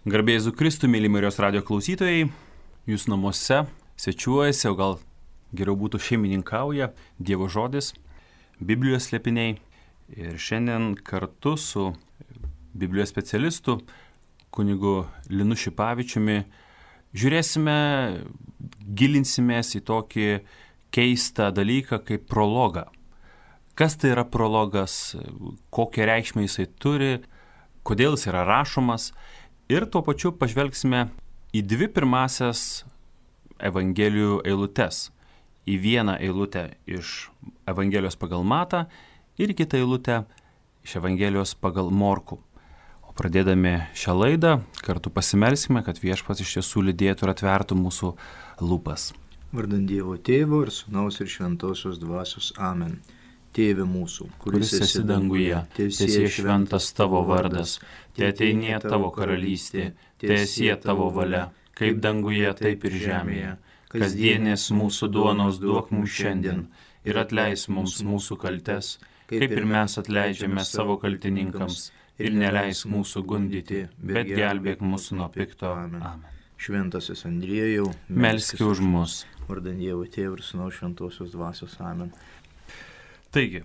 Garbė Jėzui Kristui, mėly Marijos radijo klausytojai, jūs namuose svečiuojasi, o gal geriau būtų šeimininkauja Dievo žodis, Biblijos slėpiniai. Ir šiandien kartu su Biblijos specialistu kunigu Linu Šipavičiumi žiūrėsime, gilinsimės į tokį keistą dalyką kaip prologą. Kas tai yra prologas, kokią reikšmę jisai turi, kodėl jis yra rašomas. Ir tuo pačiu pažvelgsime į dvi pirmasias Evangelijų eilutes. Į vieną eilutę iš Evangelijos pagal Matą ir kitą eilutę iš Evangelijos pagal Morkų. O pradėdami šią laidą, kartu pasimelsime, kad Viešpats iš tiesų lydėtų ir atvertų mūsų lūpas. Vardant Dievo Tėvo ir Sūnaus ir Šventosios Dvasios. Amen. Tėve mūsų, kuris esi danguje, teesie šventas tavo vardas, teateinie tavo karalystė, teesie tavo valia, kaip danguje, taip ir žemėje. Kasdienės mūsų duonos duok mums šiandien ir atleis mums mūsų kaltes, kaip ir mes atleidžiame savo kaltininkams, ir neleis mūsų gundyti, bet gelbėk mūsų nuo pikto. Amen. Šventasis Andriejau, melski už mus. Vardant Dievo Tėvo ir Sūnaus Šventosios Dvasios. Amen. Taigi,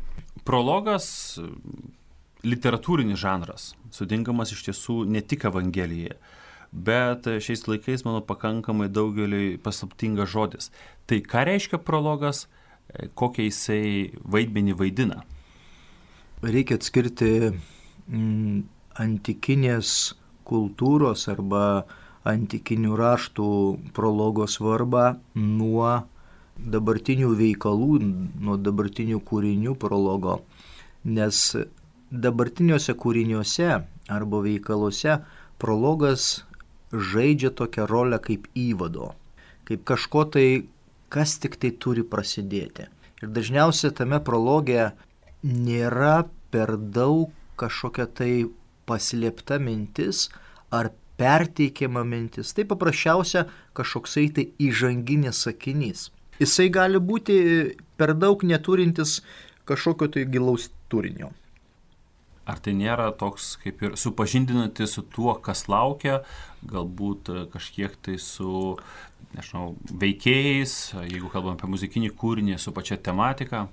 prologas literatūrinis žanras, sudinkamas iš tiesų ne tik Evangelijoje, bet šiais laikais, manau, pakankamai daugeliui paslaptingas žodis. Tai ką reiškia prologas, kokią jisai vaidmenį vaidina? Reikia atskirti antikinės kultūros arba antikinių raštų prologo svarbą nuo dabartinių veikalų, nuo dabartinių kūrinių prologo, nes dabartiniuose kūriniuose arba veikaluose prologas žaidžia tokią rolę kaip įvado, kaip kažko tai, kas tik tai turi prasidėti. Ir dažniausiai tame prologe nėra per daug kažkokia tai paslėpta mintis ar perteikiama mintis, tai paprasčiausia kažkoksai tai įžanginis sakinys. Jisai gali būti per daug neturintis kažkokio tai gilaus turinio. Ar tai nėra toks kaip ir supažindinantis su tuo, kas laukia, galbūt kažkiek tai su, veikėjais, jeigu kalbam apie muzikinį kūrinį, su pačia tematika?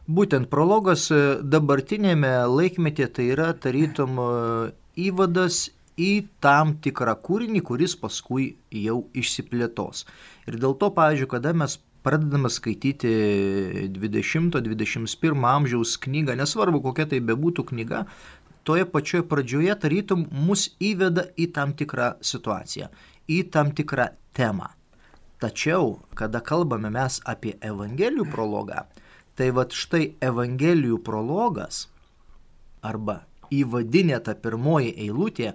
Būtent prologas dabartinėme laikmetyje tai yra tarytum įvadas į tam tikrą kūrinį, kuris paskui jau išsiplėtos. Ir dėl to, pavyzdžiui, kada mes pradedame skaityti 20-21 amžiaus knygą, nesvarbu kokia tai bebūtų knyga, toje pačioje pradžioje tarytum mus įveda į tam tikrą situaciją, į tam tikrą temą. Tačiau, kada kalbame mes apie Evangelijų prologą, tai vat štai Evangelijų prologas arba įvadinė ta pirmoji eilutė,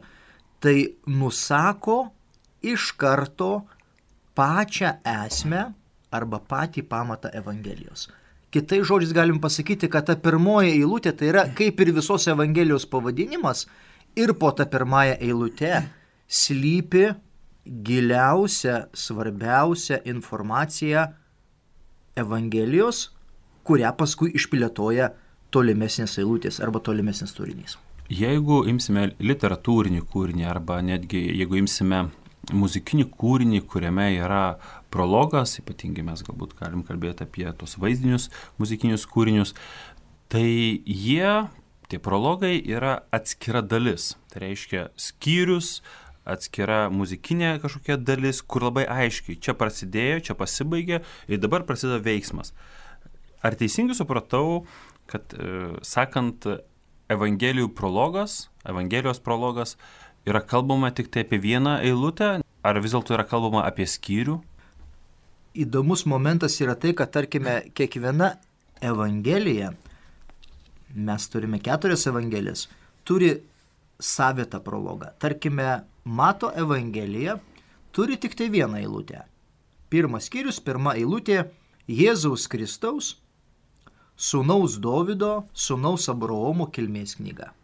tai nusako iš karto pačią esmę arba patį pamatą Evangelijos. Kitais žodžiais galim pasakyti, kad ta pirmoji eilutė tai yra kaip ir visos Evangelijos pavadinimas ir po ta pirmąją eilutę slypi giliausia, svarbiausia informacija Evangelijos, kurią paskui išplėtoja tolimesnės eilutės arba tolimesnės turinys. Jeigu imsime literatūrinį kūrinį arba netgi jeigu imsime muzikinį kūrinį, kuriame yra prologas, ypatingai mes galbūt galim kalbėti apie tos vaizdinius muzikinius kūrinius, tai tie prologai yra atskira dalis. Tai reiškia skyrius, atskira muzikinė kažkokia dalis, kur labai aiškiai čia prasidėjo, čia pasibaigė ir dabar prasideda veiksmas. Ar teisingai supratau, kad sakant Evangelijos prologas yra kalbama tik tai apie vieną eilutę, ar vis dėlto yra kalbama apie skyrių? Įdomus momentas yra tai, kad tarkime kiekviena Evangelija, mes turime 4 Evangelijas, turi savitą prologą. Tarkime, Mato Evangelija turi tik tai vieną eilutę. Pirmas skyrius, pirma eilutė, Jėzaus Kristaus, sūnaus Dovydo, sūnaus Abraomo kilmės knyga.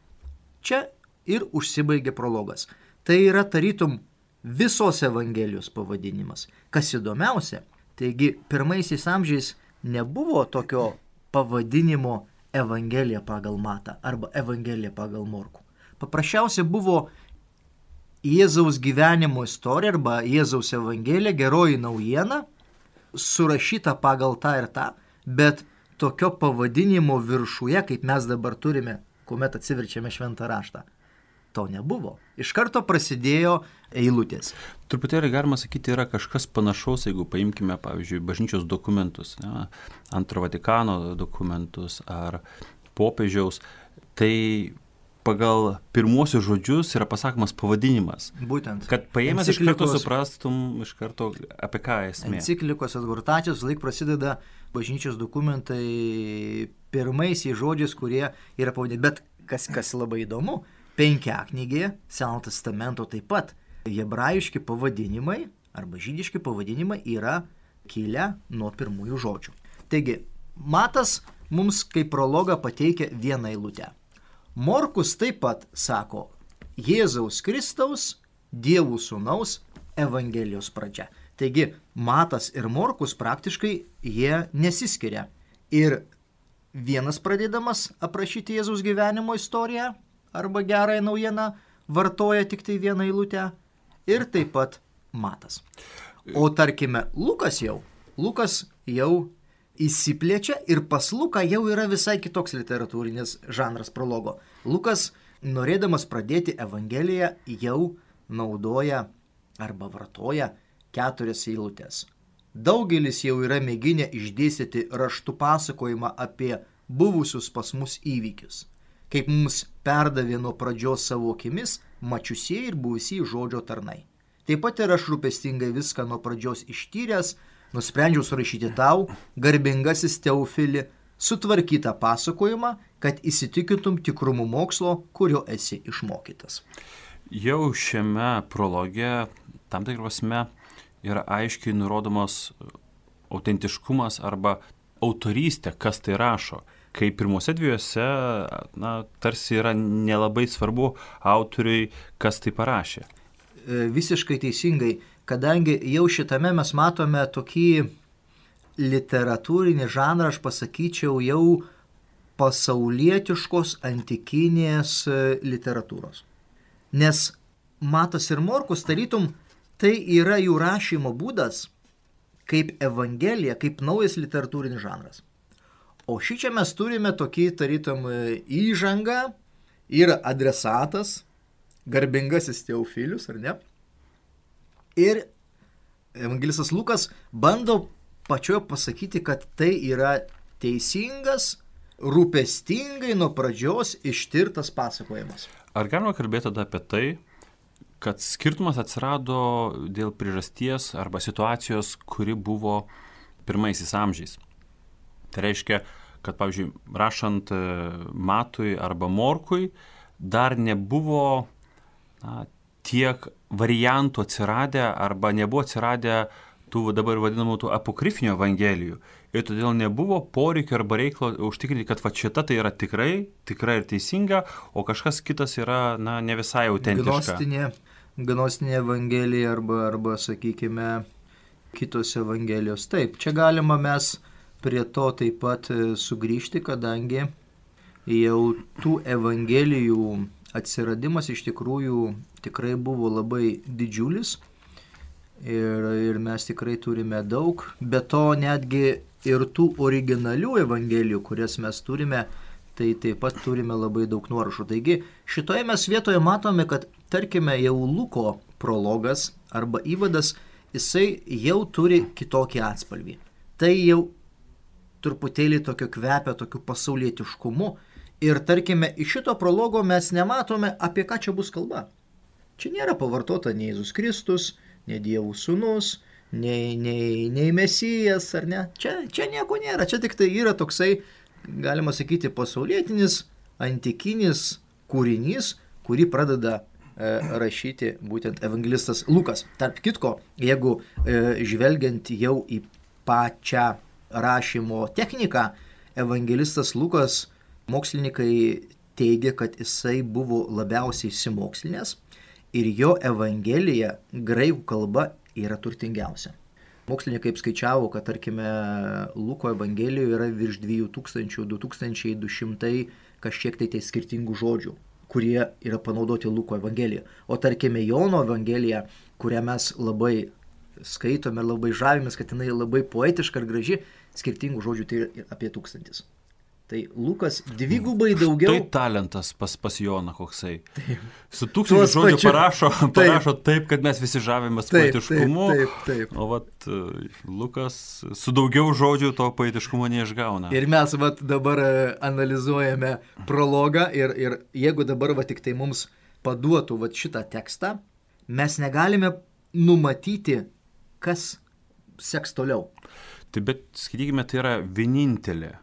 Čia ir užsibaigė prologas. Tai yra tarytum visos Evangelijos pavadinimas. Kas įdomiausia, taigi pirmaisiais amžiais nebuvo tokio pavadinimo Evangelija pagal Matą arba Evangelija pagal Morkų. Paprasčiausiai buvo Jėzaus gyvenimo istorija arba Jėzaus evangelija, geroji naujiena, surašyta pagal tą ir tą, bet tokio pavadinimo viršuje, kaip mes dabar turime, kuomet atsiverčiame šventą raštą, to nebuvo. Iš karto prasidėjo eilutės. Truputėlį galima sakyti, yra kažkas panašaus, jeigu paimkime, pavyzdžiui, bažnyčios dokumentus, ne, Antro Vatikano dokumentus ar popiežiaus, tai pagal pirmuosius žodžius yra pasakomas pavadinimas. Būtent. Kad paėmęs iš karto suprastum iš karto apie ką esmė. Enciklikos adhortacijos laik prasideda bažnyčios dokumentai pirmaisiais žodžiais, kurie yra pavadinti. Bet kas labai įdomu, Penkiaknygėje, Senojo testamento taip pat, hebrajiški pavadinimai arba žydiški pavadinimai yra kilę nuo pirmųjų žodžių. Taigi, Matas mums kaip prologą pateikia vieną eilutę. Morkus taip pat sako Jėzaus Kristaus, Dievų sūnaus Evangelijos pradžia. Taigi, Matas ir Morkus praktiškai jie nesiskiria. Ir vienas pradėdamas aprašyti Jėzaus gyvenimo istoriją arba gerąją naujieną vartoja tik tai vieną eilutę ir taip pat Matas. O tarkime, Lukas jau įsiplečia ir pas Luką jau yra visai kitoks literatūrinis žanras prologo. Lukas, norėdamas pradėti Evangeliją, jau naudoja arba vartoja 4 eilutės. Daugelis jau yra mėginę išdėstyti raštų pasakojimą apie buvusius pas mus įvykius, kaip mums perdavė nuo pradžios savo akimis mačiusieji ir buvusieji žodžio tarnai. Taip pat ir aš rūpestingai viską nuo pradžios ištyręs, nusprendžiau surašyti tau, garbingasis Teofili, sutvarkytą pasakojimą, kad įsitikintum tikrumu mokslo, kurio esi išmokytas. Jau šiame prologe tam tikrą prasme yra aiškiai nurodomas autentiškumas arba autorystė, kas tai rašo. Kai pirmuose dviejose, tarsi yra nelabai svarbu autoriui, kas tai parašė. Visiškai teisingai, kadangi jau šitame mes matome tokį literatūrinį žanrą, aš pasakyčiau, jau pasaulietiškos antikinės literatūros. Nes Matas ir Morkus, tarytum, tai yra jų rašymo būdas kaip evangelija, kaip naujas literatūrinis žanras. O šičia mes turime tokį, tarytum, įžangą ir adresatas, garbingasis Teofilius, ar ne? Ir evangelistas Lukas bando pačioje pasakyti, kad tai yra teisingas, rūpestingai nuo pradžios ištirtas pasakojimas. Ar galima kalbėti tada apie tai, kad skirtumas atsirado dėl priežasties arba situacijos, kuri buvo pirmaisiais amžiais? Tai reiškia, kad, pavyzdžiui, rašant Matui arba Morkui, dar nebuvo tiek variantų atsiradę arba nebuvo atsiradę tų dabar vadinamų tų apokrifinių evangelijų. Ir todėl nebuvo poreikio arba reikalo užtikrinti, kad šita tai yra tikrai ir teisinga, o kažkas kitas yra ne visai autentiška. Gnostinė evangelija arba sakykime, kitos evangelijos. Taip, čia galima mes prie to taip pat sugrįžti, kadangi jau tų evangelijų atsiradimas iš tikrųjų tikrai buvo labai didžiulis ir mes tikrai turime daug, bet to netgi ir tų originalių evangelijų, kurias mes turime, tai taip pat turime labai daug nuorašų. Taigi šitoje mes vietoje matome, kad tarkime jau Luko prologas arba įvadas, jisai jau turi kitokį atspalvį. Tai jau truputėlį tokio kvepia, tokiu pasaulietiškumu. Ir tarkime, iš šito prologo mes nematome, apie ką čia bus kalba. Čia nėra pavartota nei Jėzus Kristus, nei Dievų sūnus, nei Mesijas, ar ne? Čia nieko nėra. Čia tik tai yra toksai, galima sakyti, pasaulietinis, antikinis kūrinys, kurį pradeda rašyti būtent evangelistas Lukas. Tarp kitko, jeigu žvelgiant jau į pačią rašymo techniką, evangelistas Lukas, mokslininkai teigia, kad jisai buvo labiausiai išsimokslinęs ir jo evangelija graikų kalba yra turtingiausia. Mokslininkai skaičiavo, kad tarkime Luko evangelijoje yra virš 2000, 2200 kažkiek tai skirtingų žodžių, kurie yra panaudoti Luko Evangelijoje. O tarkime Jono Evangelija, kurią mes labai skaitome, labai žavimės, kad jinai labai poetiška ir graži, skirtingų žodžių tai yra apie 1000. Tai Lukas dvigubai daugiau. Tai talentas pas Joną koksai. Su 1000 žodžių parašo taip, kad mes visi žavimės poetiškumu. Taip. O Lukas su daugiau žodžių to poetiškumo neišgauna. Ir mes dabar analizuojame prologą ir jeigu dabar tik tai mums paduotų šitą tekstą, mes negalime numatyti, kas seks toliau. Taip, bet skaitykime, tai yra vienintelė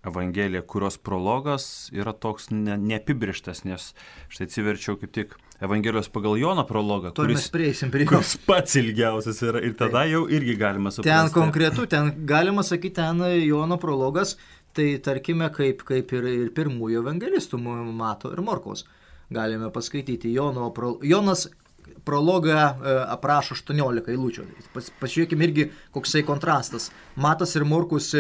Evangelija, kurios prologas yra toks neapibrištas, nes štai atsiverčiau kaip tik Evangelijos pagal Joną prologą, kuris pats ilgiausias yra ir tada jau irgi galima suprasti. Ten konkretu, ten galima sakyti, ten Jono prologas, tai tarkime kaip ir pirmųjų evangelistų Mato ir Morkaus. Galime paskaityti Jonas prologą aprašo 18 eilučių. Pažiūrėkime irgi, koksai kontrastas. Matas ir Morkus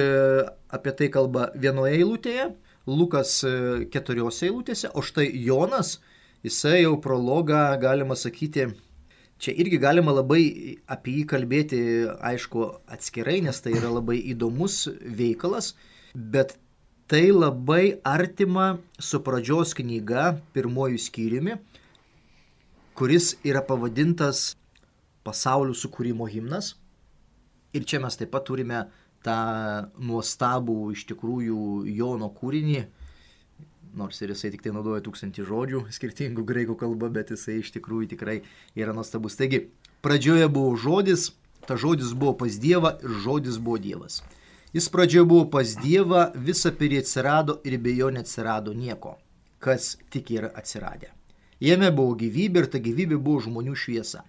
apie tai kalba vienoje eilutėje, Lukas 4 eilutėse, o štai Jonas, jisai jau prologą, galima sakyti, čia irgi galima labai apie jį kalbėti, aišku, atskirai, nes tai yra labai įdomus veikalas, bet tai labai artima su pradžios knyga, pirmojų skyriumi, kuris yra pavadintas Pasaulio sukūrimo himnas. Ir čia mes taip pat turime tą nuostabų iš tikrųjų Jono kūrinį, nors ir jisai tik tai naudoja 1000 žodžių skirtingų graikų kalba, bet jisai iš tikrųjų tikrai yra nuostabus. Taigi, pradžioje buvo žodis, ta žodis buvo pas Dievą ir žodis buvo Dievas. Jis pradžioje buvo pas Dievą, visa per jį atsirado ir be jo neatsirado nieko, kas tik yra atsiradę. Jame buvo gyvybė ir ta gyvybė buvo žmonių šviesa.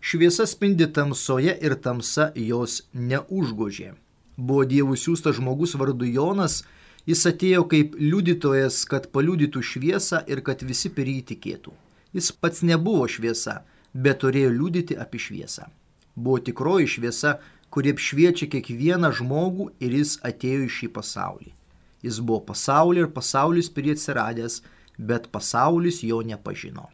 Šviesa spindi tamsoje ir tamsa jos neužgožė. Buvo Dievų siųstas žmogus vardu Jonas, jis atėjo kaip liudytojas, kad paliudytų šviesą ir kad visi per jį tikėtų. Jis pats nebuvo šviesa, bet turėjo liudyti apie šviesą. Buvo tikroji šviesa, kuri apšviečia kiekvieną žmogų ir jis atėjo į šį pasaulį. Jis buvo pasaulyje ir pasaulis per jį atsiradęs, bet pasaulis jo nepažino.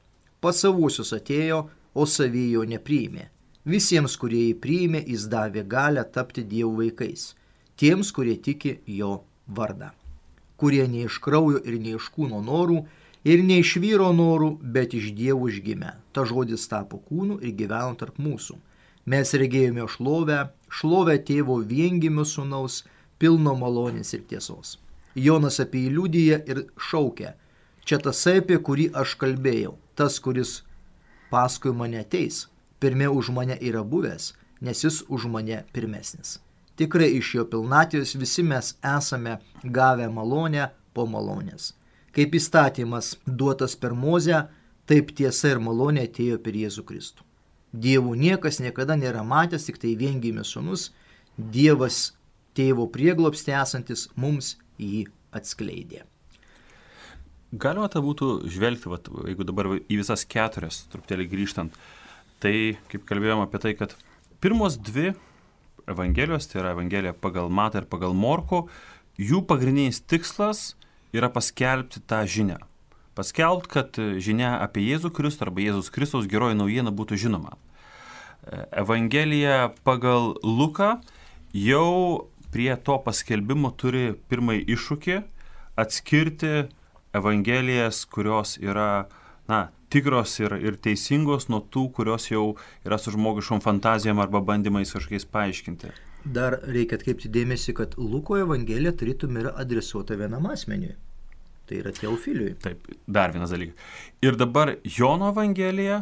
Pas savuosius atėjo, o savi jo nepriėmė. Visiems, kurie jį priėmė, jis davė galią tapti Dievo vaikais. Tiems, kurie tiki jo vardą. Kurie ne iš kraujo ir ne iš kūno norų, ir ne iš vyro norų, bet iš Dievo užgimė. Ta žodis tapo kūnu ir gyveno tarp mūsų. Mes regėjome šlovę tėvo viengimio sūnaus, pilno malonės ir tiesos. Jonas apie jį liudija ir šaukia. Čia tasai, apie kurį aš kalbėjau, tas, kuris paskui mane ateis, pirmiau už mane yra buvęs, nes jis už mane pirmesnis. Tikrai iš jo pilnatvės visi mes esame gavę malonę po malonės. Kaip įstatymas duotas per Mozę, taip tiesa ir malonė atėjo per Jėzų Kristų. Dievų niekas niekada nėra matęs, tik tai viengimis sūnus, Dievas tėvo prieglobstį esantis mums jį atskleidė. Galima tai būtų žvelgti, jeigu dabar į visas 4, truputėlį grįžtant, tai kaip kalbėjom apie tai, kad pirmos 2 Evangelijos, tai yra Evangelija pagal Matą ir pagal Morkų, jų pagrindinis tikslas yra paskelbti tą žinią. Paskelbti, kad žinia apie Jėzų Kristų arba Jėzus Kristaus geroji naujiena būtų žinoma. Evangelija pagal Luką jau prie to paskelbimo turi pirmąjį iššūkį atskirti Evangelijas, kurios yra tikros ir teisingos nuo tų, kurios jau yra su žmogiškom fantazijom arba bandymais kažkokiais paaiškinti. Dar reikia atkreipti dėmesį, kad Luko Evangelija tarytum yra adresuota vienam asmeniui. Tai yra Teofiliui. Taip, dar vienas dalykas. Ir dabar Jono Evangelija,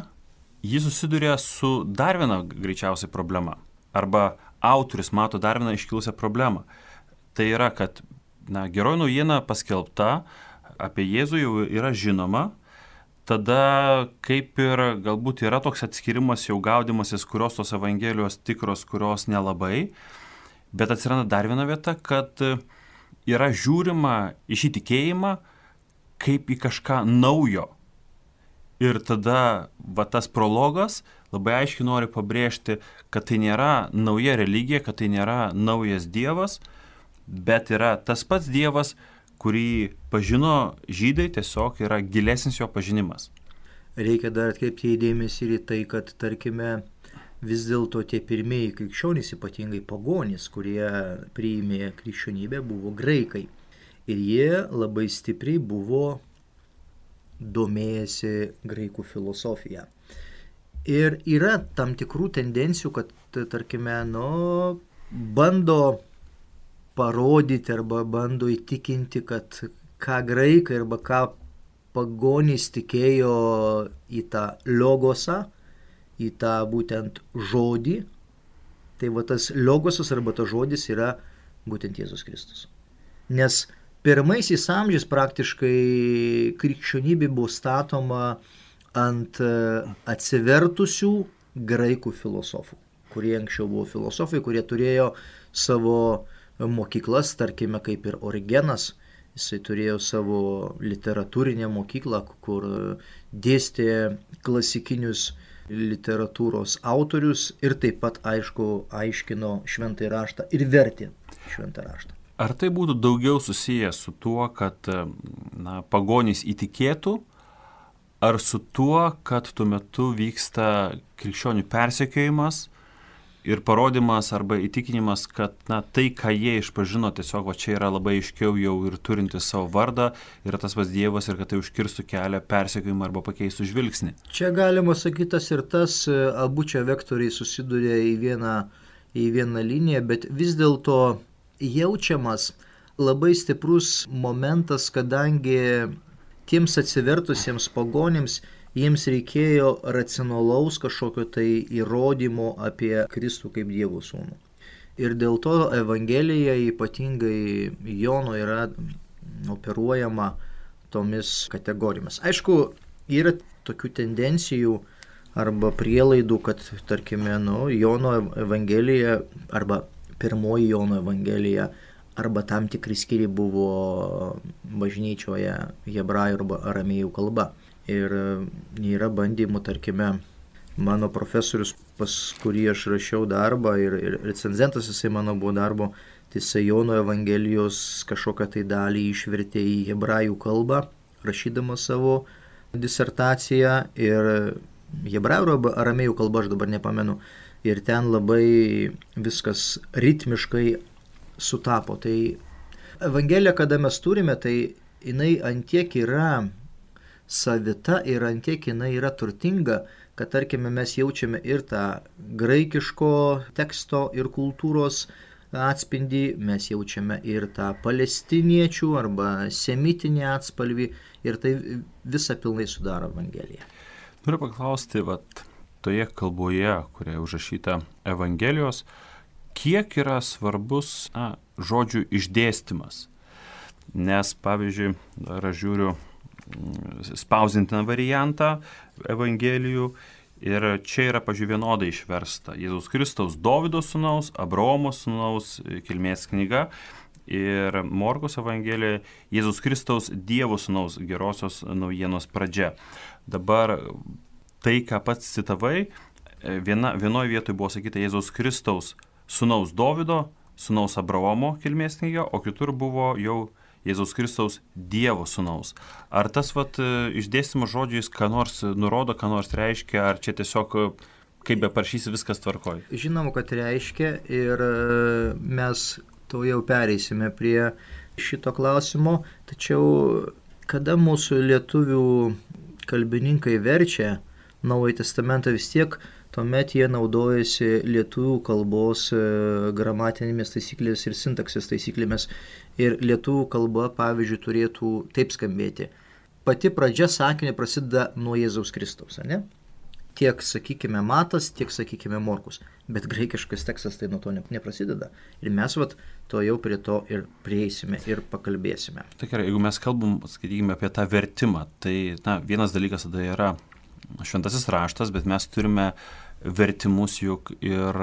jis susiduria su dar viena greičiausiai problema. Arba autorius mato dar vieną iškilusią problemą. Tai yra, kad geroji naujiena paskelbta apie Jėzų jau yra žinoma, tada kaip ir galbūt yra toks atskirimas jau gaudimasis, kurios tos Evangelijos tikros, kurios nelabai, bet atsiranda dar viena vieta, kad yra žiūrima į šį tikėjimą kaip į kažką naujo. Ir tada tas prologas labai aiškiai nori pabrėžti, kad tai nėra nauja religija, kad tai nėra naujas Dievas, bet yra tas pats Dievas, kurį pažino žydai, tiesiog yra gilesnis jo pažinimas. Reikia dar atkreipti dėmesį ir į tai, kad, tarkime, vis dėlto tie pirmieji krikščionys, ypatingai pagonys, kurie priėmė krikščionybę, buvo graikai. Ir jie labai stipriai buvo domėjęsi graikų filosofiją. Ir yra tam tikrų tendencijų, kad, tarkime, bando parodyti arba bando įtikinti, kad ką graikai arba ką pagonys tikėjo į tą logosą, į tą būtent žodį. Tai va tas logosas arba tas žodis yra būtent Jėzus Kristus. Nes pirmaisiais amžiais praktiškai krikščionybė buvo statoma ant atsivertusių graikų filosofų, kurie anksčiau buvo filosofai, kurie turėjo savo mokyklas, tarkime, kaip ir Origenas. Jisai turėjo savo literatūrinę mokyklą, kur dėstė klasikinius literatūros autorius ir taip pat, aišku, aiškino šventąjį raštą ir vertė šventą raštą. Ar tai būtų daugiau susijęs su tuo, kad pagonys įtikėtų, ar su tuo, kad tuo metu vyksta krikščionių persekiojimas ir parodimas arba įtikinimas, kad tai, ką jie išpažino, tiesiog čia yra labai aiškiau jau ir turinti savo vardą, yra tas pats Dievas ir kad tai užkirstų kelią persekiojimą arba pakeistų žvilgsnį? Čia galima sakyti tas ir tas, abu čia vektoriai susiduria į vieną liniją, bet vis dėlto jaučiamas labai stiprus momentas, kadangi tiems atsivertusiems pagonims jiems reikėjo racionalaus kažkokio tai įrodymo apie Kristų kaip Dievo sūnų. Ir dėl to Evangelija, ypatingai Jono, yra operuojama tomis kategorijomis. Aišku, yra tokių tendencijų arba prielaidų, kad, tarkime, Jono Evangelija arba pirmoji Jono Evangelija arba tam tikri skyriai buvo bažnyčioje hebrajų arba aramėjų kalba. Ir yra bandymų, tarkime, mano profesorius, pas kurį aš rašiau darbą ir recenzentas jisai mano buvo darbo, tai jisai Jono Evangelijos kažkokią tai dalį išvertė į hebrajų kalbą, rašydamas savo disertaciją, ir hebrajų arba aramėjų kalba, aš dabar nepamenu, ir ten labai viskas ritmiškai sutapo. Tai Evangelija, kada mes turime, tai jinai antiek yra savita ir antiek jinai yra turtinga, kad, tarkime, mes jaučiame ir tą graikiško teksto ir kultūros atspindį, mes jaučiame ir tą palestiniečių arba semitinį atspalvį, ir tai visą pilnai sudaro Evangeliją. Noriu paklausti, toje kalboje, kurioje užrašyta Evangelijos, kiek yra svarbus žodžių išdėstymas? Nes, pavyzdžiui, aš žiūriu spausdintiną variantą Evangelijų ir čia yra, pavyzdžiui, vienodai išversta Jėzaus Kristaus Dovydo sūnaus, Abraomo sūnaus kilmės knyga, ir Morkaus Evangelija Jėzaus Kristaus Dievo sūnaus gerosios naujienos pradžia. Dabar tai, ką pats citavai, vienoje vietoje buvo sakyta Jėzaus Kristaus sūnaus Dovydo, sūnaus Abraomo kilmės knyga, o kitur buvo jau Jėzaus Kristaus Dievo sūnaus. Ar tas išdėstymas žodžiais ką nors nurodo, ką nors reiškia, ar čia tiesiog, kaip be parašysi, viskas tvarkoj? Žinoma, kad reiškia, ir mes to jau pereisime prie šito klausimo, tačiau kada mūsų lietuvių kalbininkai verčia Naująjį testamentą, vis tiek tuomet jie naudojasi lietuvių kalbos gramatinėmis taisyklėmis ir sintaksės taisyklėmis. Ir lietuvių kalba, pavyzdžiui, turėtų taip skambėti. Pati pradžia sakinio prasideda nuo Jėzaus Kristaus, ne? Tiek, sakykime, Matas, tiek, sakykime, Morkus. Bet graikiškas tekstas tai nuo to neprasideda. Ir mes to jau prie to ir prieisime ir pakalbėsime. Tai gerai, jeigu mes kalbam, sakykime, apie tą vertimą, tai vienas dalykas tada yra šventasis raštas, bet mes turime vertimus juk ir,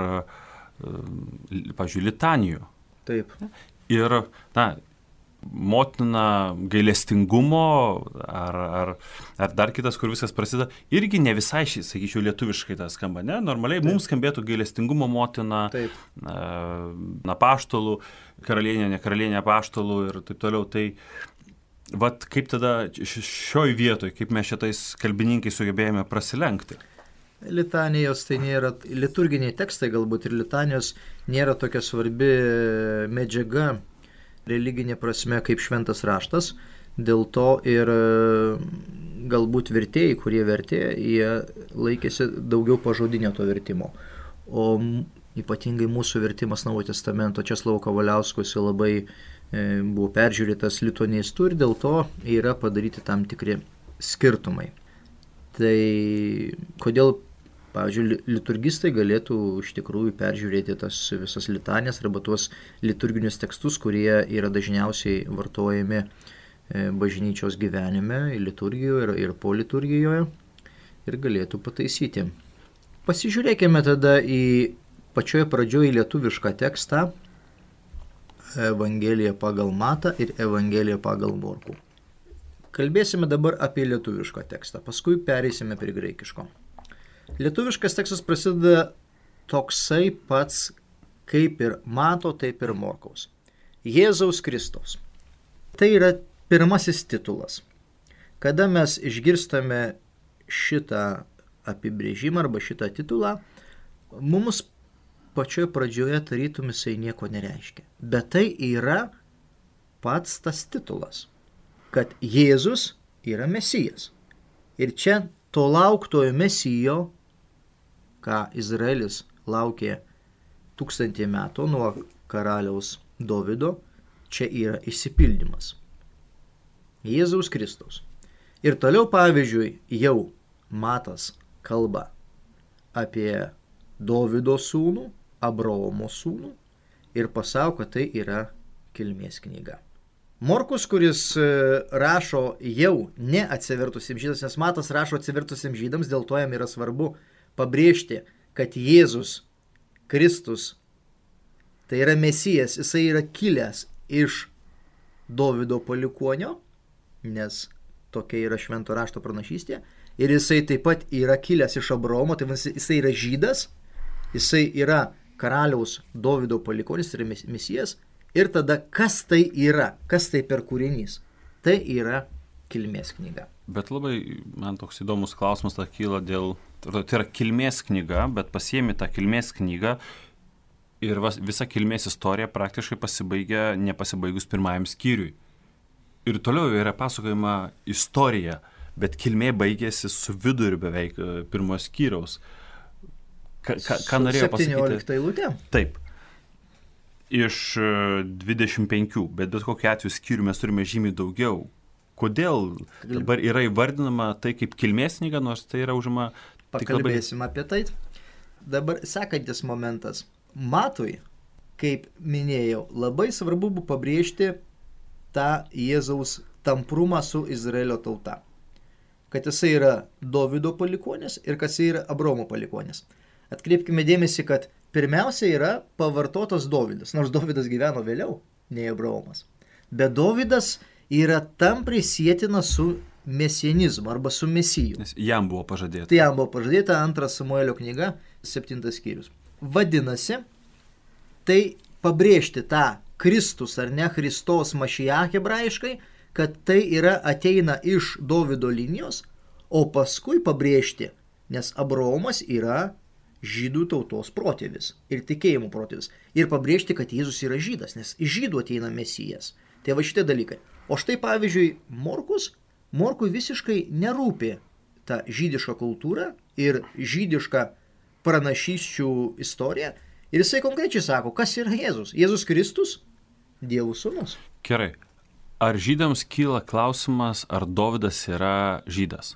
pavyzdžiui, litanijų. Taip. Ir, motina gailestingumo ar dar kitas, kur viskas prasideda, irgi ne visai, sakyčiau, lietuviškai tas skamba, ne? Normaliai mums skambėtų gailestingumo motina, apaštalų, karalienė, ne karalienė apaštalų ir taip toliau. Tai vat kaip tada šioj vietoj, kaip mes šitais kalbininkai sugebėjome prasilenkti? Litanijos tai nėra, liturginiai tekstai galbūt ir litanijos nėra tokia svarbi medžiaga religinė prasme kaip šventas raštas, dėl to ir galbūt vertėjai, kurie vertė, jie laikėsi daugiau pažodinio to vertimo. O ypatingai mūsų vertimas Naujojo testamento Česlovo Kavaliausko labai buvo peržiūrėtas lituanistų ir dėl to yra padaryti tam tikri skirtumai. Tai kodėl, pavyzdžiui, liturgistai galėtų iš tikrųjų peržiūrėti tas visas litanijas arba tuos liturginius tekstus, kurie yra dažniausiai vartojami bažnyčios gyvenime, liturgijoje ir po liturgijoje ir galėtų pataisyti. Pasižiūrėkime tada į pačioje pradžioje lietuvišką tekstą Evangeliją pagal Matą ir Evangeliją pagal Morkų. Kalbėsime dabar apie lietuvišką tekstą, paskui pereisime prie graikiško. Lietuviškas tekstas prasideda toksai pats kaip ir Mato, taip ir Morkaus. Jėzaus Kristaus. Tai yra pirmasis titulas. Kada mes išgirstame šitą apibrėžimą arba šitą titulą, mums pačioje pradžioje tarytum jisai nieko nereiškia. Bet tai yra pats tas titulas, kad Jėzus yra Mesijas. Ir čia to lauktojo Mesijo, ką Izraelis laukė 1000 metų nuo karaliaus Dovydo, čia yra išsipildymas. Jėzaus Kristaus. Ir toliau, pavyzdžiui, jau Matas kalba apie Dovydo sūnų, Abraomo sūnų ir pasako, kad tai yra kilmės knyga. Morkus, kuris rašo jau ne atsivertusiems žydams, nes Matas rašo atsivertusiems žydams, dėl to jam yra svarbu pabrėžti, kad Jėzus Kristus, tai yra Mesijas, jisai yra kilęs iš Dovydo palikuonio, nes tokia yra švento rašto pranašystė, ir jisai taip pat yra kilęs iš Abraomo, tai jisai yra žydas, jisai yra karaliaus Dovydo palikuonis, tai yra Mesijas, ir tada kas tai yra, kas tai per kūrinys, tai yra kilmės knyga. Bet labai man toks įdomus klausimas kyla dėl, tai yra kilmės knyga, bet pasiemi tą kilmės knygą ir visa kilmės istorija praktiškai pasibaigia nepasibaigus pirmajam skyriui. Ir toliau yra pasakojama istorija, bet kilmė baigėsi su viduriu beveik pirmojo skyriaus. Ką norėjo pasakyti? 17 eilutė. Taip. Iš 25, bet kokiu atveju skyrių mes turime žymiai daugiau. Kodėl dabar yra įvardinama tai kaip kilmės knyga, nors tai yra užima... Pakalbėsim apie tai. Dabar sekantis momentas. Matui, kaip minėjau, labai svarbu buvo pabrėžti tą Jėzaus tamprumą su Izraelio tauta. Kad jisai yra Dovydo palikuonis ir kad jisai yra Abraomo palikuonis. Atkreipkime dėmesį, kad pirmiausia yra pavartotas Dovydas, nors Dovydas gyveno vėliau nei Abraomas. Bet Dovydas yra tampriai sietina su mesianizmu arba su mesiju. Nes jam buvo pažadėta. Tai jam buvo pažadėta 2 Samuelio knyga, 7 skyrius. Vadinasi, tai pabrėžti tą Kristus ar ne Christos Mašijach hebrajiškai, kad tai yra ateina iš Dovydo linijos, o paskui pabrėžti, nes Abraomas yra žydų tautos protėvis ir tikėjimų protėvis. Ir pabrėžti, kad Jėzus yra žydas, nes iš žydų ateina Mesijas. Tai va šitie dalykai. O štai pavyzdžiui, Morkui visiškai nerūpi ta žydiška kultūra ir žydiška pranašysčių istorija. Ir jisai konkrečiai sako, kas yra Jėzus. Jėzus Kristus, Dievo sūnus. Gerai. Ar žydams kyla klausimas, ar Dovydas yra žydas?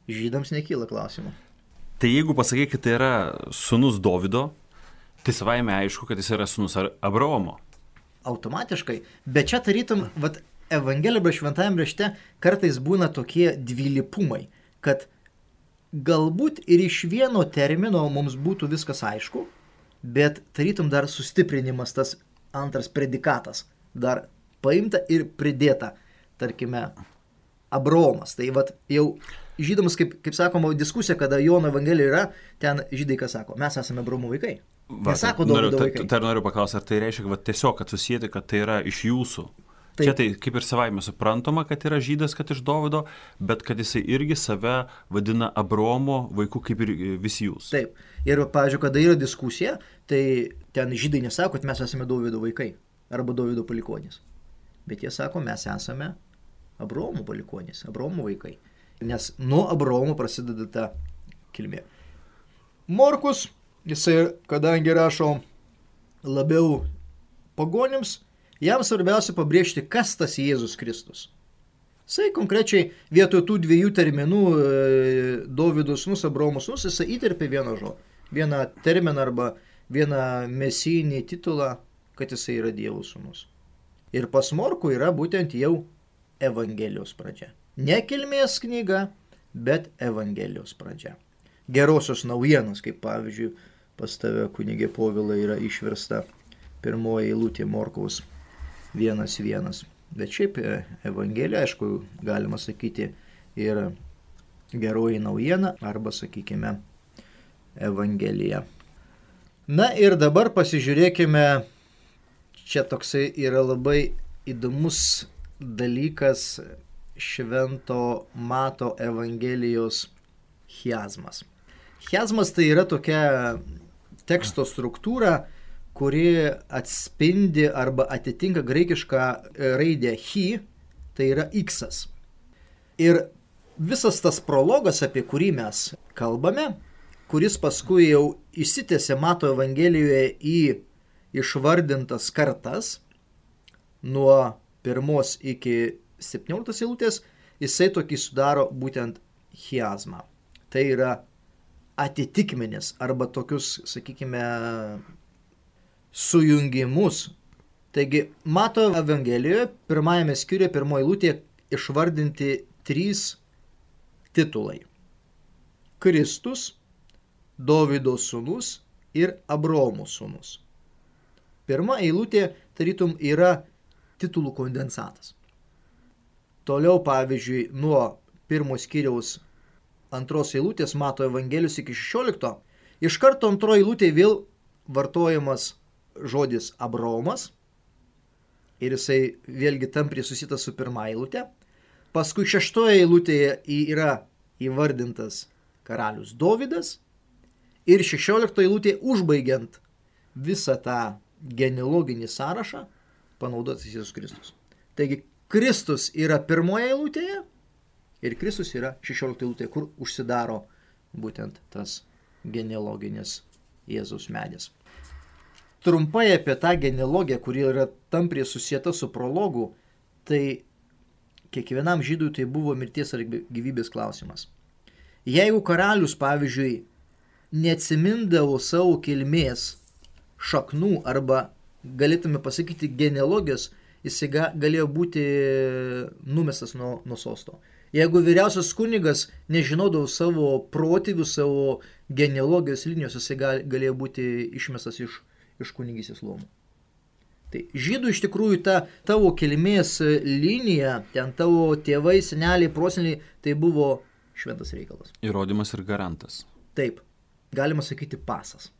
Žydams nekyla klausimų. Tai jeigu pasakai, kad tai yra sūnus Dovydo, tai savaime aišku, kad jis yra sūnus Abraomo. Automatiškai. Bet čia tarytum, Evangelija arba šventajame rašte kartais būna tokie dvilypumai, kad galbūt ir iš vieno termino mums būtų viskas aišku, bet tarytum dar sustiprinimas tas antras predikatas dar paimta ir pridėta, tarkime, Abraomas. Tai vat jau žydams, kaip sakoma, diskusija, kada Jono Evangelija yra, ten žydai ką sako, mes esame Abraomo vaikai. Nesako Dovydo vaikai. Tai noriu paklausti, ar tai reiškia, kad tiesiog susijęti, kad tai yra iš jūsų? Taip. Čia tai kaip ir savaime suprantama, kad yra žydas, kad iš Dovydo, bet kad jisai irgi save vadina Abraomo vaiku kaip ir visi jūs. Taip. Ir, pavyzdžiui, kada yra diskusija, tai ten žydai nesako, kad mes esame Dovydo vaikai arba Dovydo palikuonys. Bet jie sako, mes esame Abraomo palikuonys, Abraomo vaikai. Nes nuo Abraomo prasideda ta kilmė. Morkus, jisai, kadangi rašo labiau pagonims, jam svarbiausia pabrėžti, kas tas Jėzus Kristus. Jisai konkrečiai vietoj tų dviejų terminų Dovydo sūnus, Abraomo sūnus, jisai įterpė vieną terminą arba vieną mesijinį titulą, kad jisai yra Dievo sūnus. Ir pas Morkų yra būtent jau Evangelijos pradžia. Ne kilmės knyga, bet Evangelijos pradžia. Gerosios naujienos, kaip pavyzdžiui, pas tave kunigė Povilai yra išversta pirmoji eilutė Morkaus 1:1. Bet šiaip Evangelija, aišku, galima sakyti ir geroji naujiena, arba, sakykime, Evangelija. Na ir dabar pasižiūrėkime, čia toksai yra labai įdomus dalykas Švento Mato Evangelijos chiazmas. Chiazmas tai yra tokia teksto struktūra, kuri atspindi arba atitinka graikišką raidę chi, tai yra iksas. Ir visas tas prologas, apie kurį mes kalbame, kuris paskui jau išsitęsė Mato Evangelijoje į išvardintas kartas, nuo 1 iki 17 eilutės, jisai tokį sudaro būtent chiazmą. Tai yra atitikmenis arba tokius, sakykime, sujungimus. Taigi, Mato Evangelijoje, pirmajame skyriuje, pirmoje eilutėje išvardinti 3 titulai. Kristus, Dovydo sūnus ir Abraomo sūnus. Pirma eilutė, tarytum, yra titulų kondensatas. Toliau, pavyzdžiui, nuo 1 skyriaus 2 eilutės Mato Evangelijos iki 16, iš karto 2 eilutė vėl vartojamas žodis Abraomas ir jisai vėlgi tampriai susita su 1 eilutė. Paskui 6 eilutėje yra įvardintas karalius Dovydas ir 16 eilutėje užbaigiant visą tą genealoginį sąrašą panaudotas Jėzus Kristus. Taigi Kristus yra 1 eilutėje ir Kristus yra 16 eilutėje, kur užsidaro būtent tas genealoginis Jėzaus medis. Trumpai apie tą genealogiją, kuri yra tampriai susieta su prologu, tai kiekvienam žydui tai buvo mirties ar gyvybės klausimas. Jeigu karalius, pavyzdžiui, neatsimindavo savo kilmės šaknų arba, galėtume pasakyti, genealogijos, jisai galėjo būti numestas nuo sosto. Jeigu vyriausias kunigas nežinodavo savo protėvių, savo genealogijos linijos, jisai galėjo būti išmestas iš kunigystės luomų. Tai žydų iš tikrųjų ta tavo kilmės linija, ten tavo tėvai, seneliai, proseneliai, tai buvo šventas reikalas. Įrodymas ir garantas. Taip, galima sakyti pasas.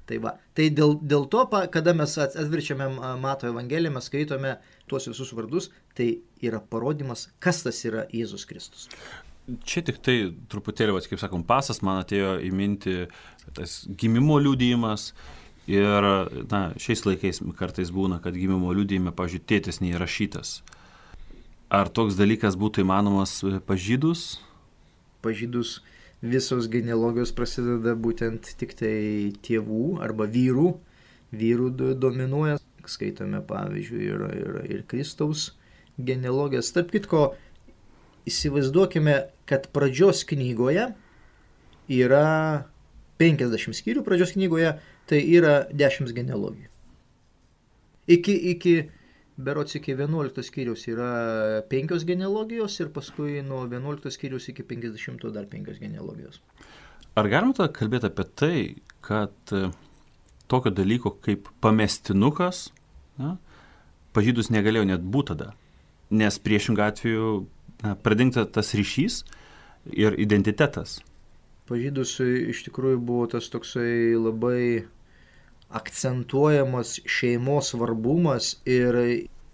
Tai va, tai dėl to, kada mes atverčiame Mato Evangeliją, mes skaitome tuos visus vardus, tai yra parodymas, kas tas yra Jėzus Kristus. Čia tik tai truputėlį, kaip sakom, pasas, man atėjo į mintį tas gimimo liudijimas. Ir šiais laikais kartais būna, kad gimimo liudijime, pavyzdžiui, tėtis neįrašytas. Ar toks dalykas būtų įmanomas pažydus? Pažydus visos genealogijos prasideda būtent tik tai tėvų arba vyrų. Vyrų dominuoja. Skaitome, pavyzdžiui, ir Kristaus genealogijas. Tarp kitko, įsivaizduokime, kad pradžios knygoje yra 50 skyrių pradžios knygoje, tai yra 10 genealogijų. Berods iki 11 skyriaus yra 5 genealogijos ir paskui nuo 11 skyriaus iki 50 dar 5 genealogijos. Ar galima tada kalbėti apie tai, kad tokio dalyko kaip pamestinukas pažydus negalėjo net būti tada, nes priešingą atveju pradingta tas ryšys ir identitetas. Pažydus iš tikrųjų buvo tas toksai labai akcentuojamas šeimos svarbumas ir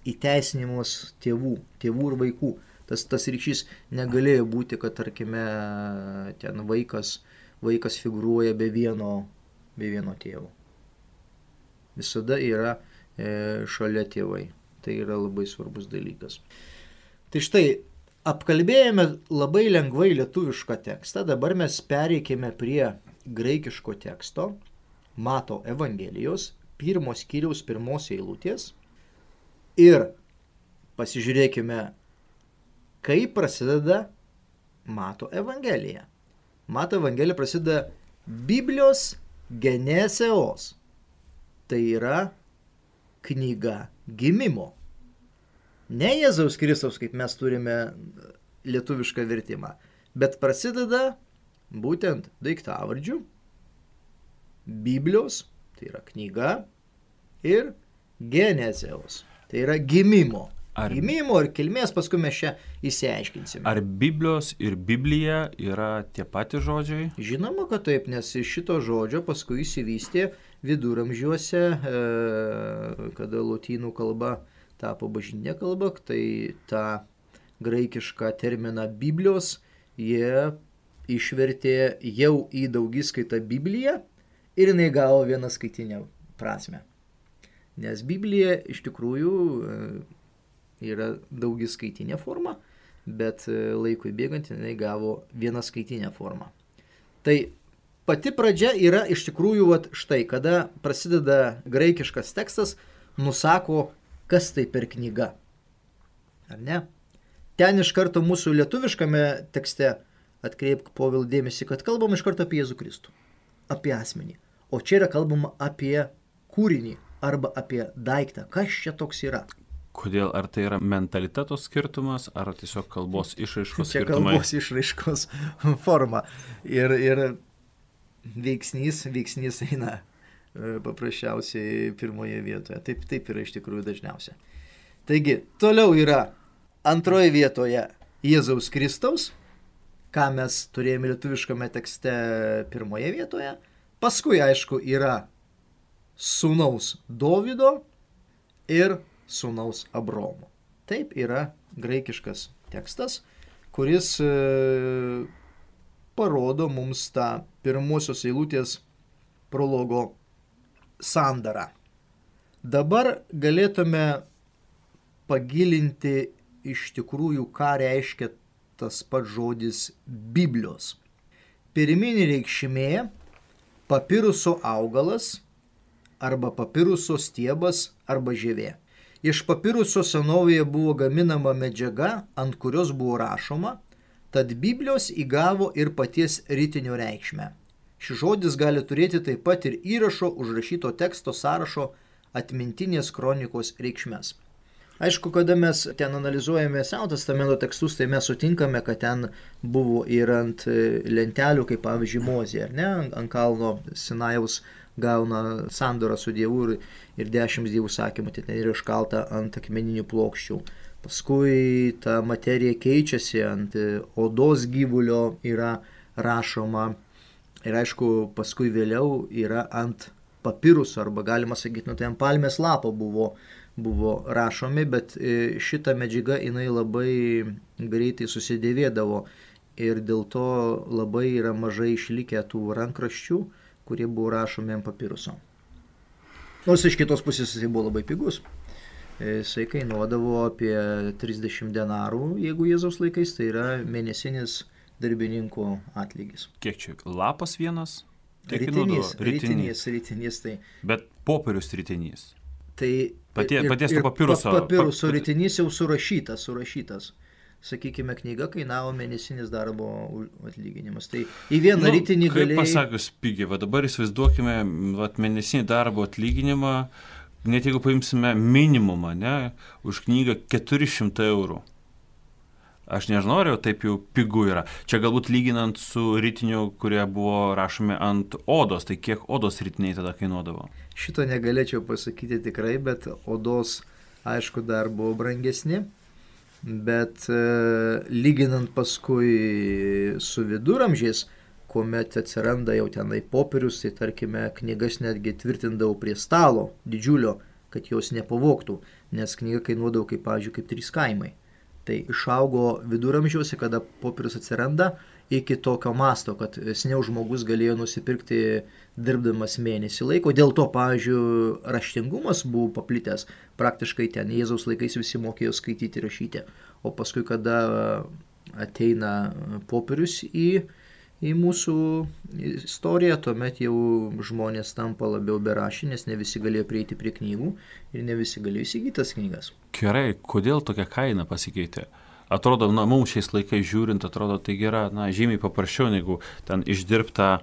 įteisinimas tėvų ir vaikų. Tas ryšys negalėjo būti, kad, tarkime, ten vaikas figūruoja be vieno tėvo. Visada yra šalia tėvai. Tai yra labai svarbus dalykas. Tai štai, apkalbėjome labai lengvai lietuvišką tekstą, dabar mes pereikime prie graikiško teksto, Mato Evangelijos, 1 skyriaus 1 eilutės ir pasižiūrėkime, kaip prasideda Mato Evangelija. Mato Evangelija prasideda Biblijos geneseos. Tai yra knyga gimimo. Ne Jėzaus Kristaus, kaip mes turime lietuvišką vertimą, bet prasideda būtent daiktavardžių, Biblijos, tai yra knyga, ir geneseos, tai yra gimimo. Gimimo ir kilmės, paskui mes čia įsiaiškinsime. Ar Biblijos ir Biblija yra tie patys žodžiai? Žinoma, kad taip, nes iš šito žodžio paskui įsivystė viduramžiuose, kada lotynų kalba tapo bažnytinė kalba, tai tą graikišką terminą Biblijos jie išvertė jau į daugiskaitą Bibliją ir jinai gavo vienaskaitinę prasme. Nes Biblija iš tikrųjų yra daugiskaitinė forma, bet laikui bėgant jinai gavo vienaskaitinę formą. Tai pati pradžia yra iš tikrųjų štai, kada prasideda graikiškas tekstas, nusako, kas tai per knyga. Ar ne? Ten iš karto mūsų lietuviškame tekste atkreipk Povilai dėmesį, kad kalbam iš karto apie Jėzų Kristų, apie asmenį. O čia yra kalbama apie kūrinį arba apie daiktą. Kas čia toks yra? Kodėl? Ar tai yra mentaliteto skirtumas, ar tiesiog kalbos išraiškos čia skirtumai? Čia kalbos išraiškos forma. Ir veiksnys eina paprasčiausiai pirmoje vietoje. Taip yra iš tikrųjų dažniausia. Taigi, toliau yra antroje vietoje Jėzaus Kristaus, ką mes turėjome lietuviškame tekste pirmoje vietoje. Paskui, aišku, yra sūnaus Dovydo ir sūnaus Abromo. Taip yra graikiškas tekstas, kuris parodo mums tą pirmosios eilutės prologo sandarą. Dabar galėtume pagilinti iš tikrųjų, ką reiškia tas pats žodis Biblijos. Pirminė reikšmė – papiruso augalas arba papiruso stiebas arba žievė. Iš papiruso senovėje buvo gaminama medžiaga, ant kurios buvo rašoma, tad Biblijos įgavo ir paties ritinio reikšmę. Šis žodis gali turėti taip pat ir įrašo užrašyto teksto sąrašo atmintinės kronikos reikšmes. Aišku, kada mes ten analizuojame Senojo testamento tekstus, tai mes sutinkame, kad ten buvo ir ant lentelių, kaip pavyzdžiui Mozė, ar ne, ant kalno Sinajaus gauna sandorą su Dievu ir 10 dievų sakymų, tai ten yra iškalta ant akmeninių plokščių. Paskui ta materija keičiasi, ant odos gyvulio yra rašoma. Ir aišku, paskui vėliau yra ant papiruso, arba galima sakyti, tai ant palmės lapo buvo rašomi, bet šita medžiaga jinai labai greitai susidėvėdavo ir dėl to labai yra mažai išlikę tų rankraščių, kurie buvo rašomi ant papiruso. Nors iš kitos pusės jis buvo labai pigus. Jisai kainuodavo apie 30 denarų, jeigu Jėzaus laikais, tai yra mėnesinis darbininkų atlygis. Kiek čia? Lapas vienas? Ritinys, tai. Bet popierius ritinys. Tai paties to papiruso. Papiruso ritinys jau surašytas. Sakykime, knyga kainavo mėnesinis darbo atlyginimas. Tai į vieną ritinį galėjai... Kaip pasakius pigiai, dabar įsivaizduokime mėnesinį darbo atlyginimą, net jeigu paimsime minimumą, ne, už knygą 400 eurų. Aš nežinau, ar jau taip jau pigu yra. Čia galbūt lyginant su ritiniu, kurie buvo rašomi ant odos, tai kiek odos ritiniai tada kainuodavo? Šito negalėčiau pasakyti tikrai, bet odos aišku, dar buvo brangesni, bet lyginant paskui su viduramžiais, kuomet atsiranda jau tenai popierius, tai tarkime, knygas netgi tvirtindavau prie stalo didžiulio, kad jos nepavogtų, nes knyga kainuodavo kaip, pavyzdžiui, kaip 3 kaimai. Tai išaugo viduramžiuose, kada popierius atsiranda, iki tokio masto, kad seniau žmogus galėjo nusipirkti dirbdamas mėnesį laiko. Dėl to, pavyzdžiui, raštingumas buvo paplitęs. Praktiškai ten Jėzaus laikais visi mokėjo skaityti ir rašyti. O paskui, kada ateina popierius į mūsų istoriją, tuomet jau žmonės tampa labiau beraščiai, nes ne visi galėjo prieiti prie knygų ir ne visi galėjo įsigyti tas knygas. Gerai, kodėl tokia kaina pasikeitė? Atrodo, mums šiais laikais žiūrint, atrodo, tai yra žymiai paprasčiau, negu ten išdirbtą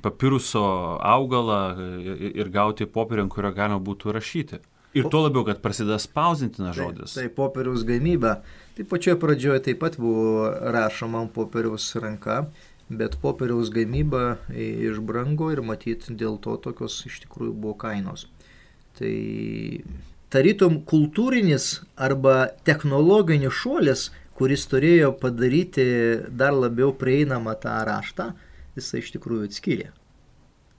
papiruso augalą ir gauti popierių, ant kurio galima būtų rašyti. Ir tuo labiau, kad prasideda spausdintinas žodis. Tai popieriaus gamyba. Tai pačioje pradžioje taip pat buvo rašoma ant popieriaus ranka, bet popieriaus gamyba išbrango ir matyt dėl to tokios iš tikrųjų buvo kainos. Tai tarytum kultūrinis arba technologinis šuolis, kuris turėjo padaryti dar labiau prieinamą tą raštą, jisai iš tikrųjų atskyrė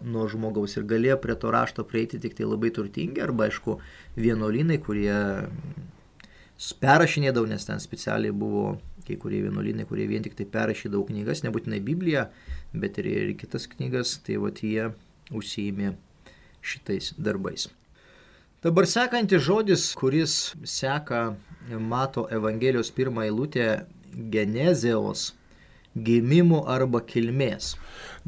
nuo žmogaus ir galėjo prie to rašto prieiti tik tai labai turtingi arba, aišku, vienuolynai, kurie perrašinėdavo, nes ten specialiai buvo kai kurie vienuolynai, kurie vien tik tai perrašydavo knygas, nebūtinai Bibliją, bet ir kitas knygas, tai vat jie užsiėmė šitais darbais. Dabar sekantis žodis, kuris seka Mato Evangelijos 1 eilutė, genezeos, gimimo arba kilmės.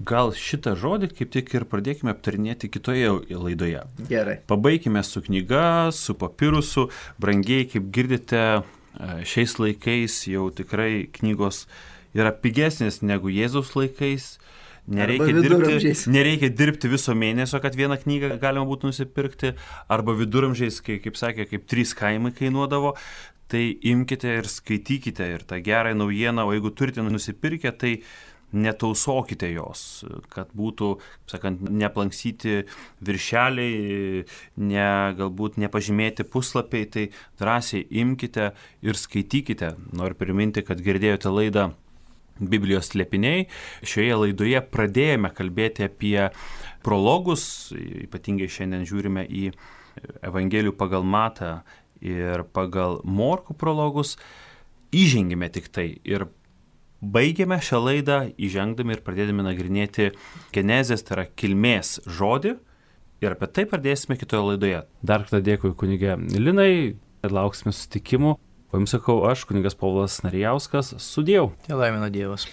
Gal šitą žodį kaip tik ir pradėkime aptarinėti kitoje laidoje. Gerai. Pabaikime su knyga, su papirusu. Brangiai, kaip girdite, šiais laikais jau tikrai knygos yra pigesnės negu Jėzaus laikais. Nereikia dirbti viso mėnesio, kad vieną knygą galima būtų nusipirkti. Arba viduramžiais, kaip sakė, kaip 3 kaimai kainuodavo. Tai imkite ir skaitykite ir tą gerą naujieną, o jeigu turite nusipirkę, tai netausokite jos, kad būtų, sakant, neplanksyti viršeliai, galbūt nepažymėti puslapiai, tai drąsiai imkite ir skaitykite. Noriu priminti, kad girdėjote laidą Biblijos slėpiniai. Šioje laidoje pradėjome kalbėti apie prologus, ypatingai šiandien žiūrime į Evangelijų pagal Matą ir pagal Morkų prologus. Įžengėme tik tai ir baigėme šią laidą įžengdami ir pradėdami nagrinėti genezės, tai yra kilmės žodį, ir apie tai pradėsime kitoje laidoje. Dar kartą dėkui kunige Linai ir lauksime susitikimų. O jums sakau aš, kunigas Povilas Narijauskas, sudieu. Te laimina Dievas.